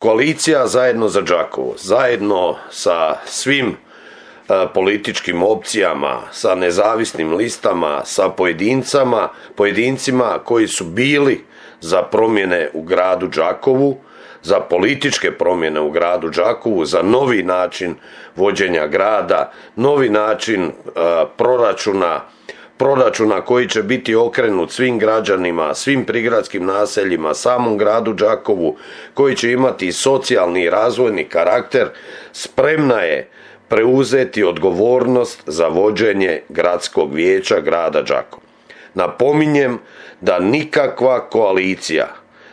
Koalicija Zajedno za Đakovo, zajedno sa svim političkim opcijama, sa nezavisnim listama, sa pojedincima koji su bili za promjene u gradu Đakovu, za političke promjene u gradu Đakovu, za novi način vođenja grada, novi način proračuna koji će biti okrenut svim građanima, svim prigradskim naseljima, samom gradu Đakovu, koji će imati socijalni i razvojni karakter, spremna je preuzeti odgovornost za vođenje gradskog vijeća grada Đakova. Napominjem da nikakva koalicija,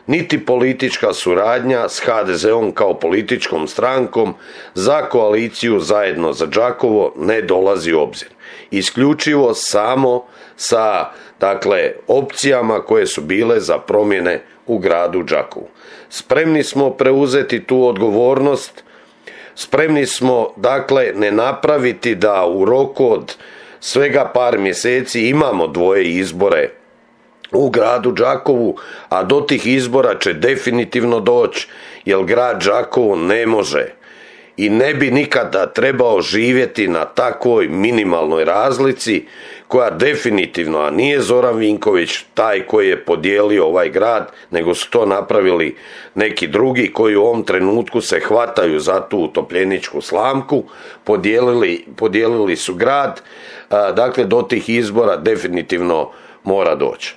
niti politička suradnja s HDZ-om kao političkom strankom za koaliciju Zajedno za Đakovo ne dolazi u obzir. Isključivo samo sa, opcijama koje su bile za promjene u gradu Đakovu. Spremni smo preuzeti tu odgovornost, spremni smo, ne napraviti da u roku od svega par mjeseci imamo 2 izbore u gradu Đakovu, a do tih izbora će definitivno doći, jer grad Đakovo ne može i ne bi nikada trebao živjeti na takvoj minimalnoj razlici koja definitivno, a nije Zoran Vinković taj koji je podijelio ovaj grad, nego su to napravili neki drugi koji u ovom trenutku se hvataju za tu utopljeničku slamku, podijelili su grad, do tih izbora definitivno mora doći.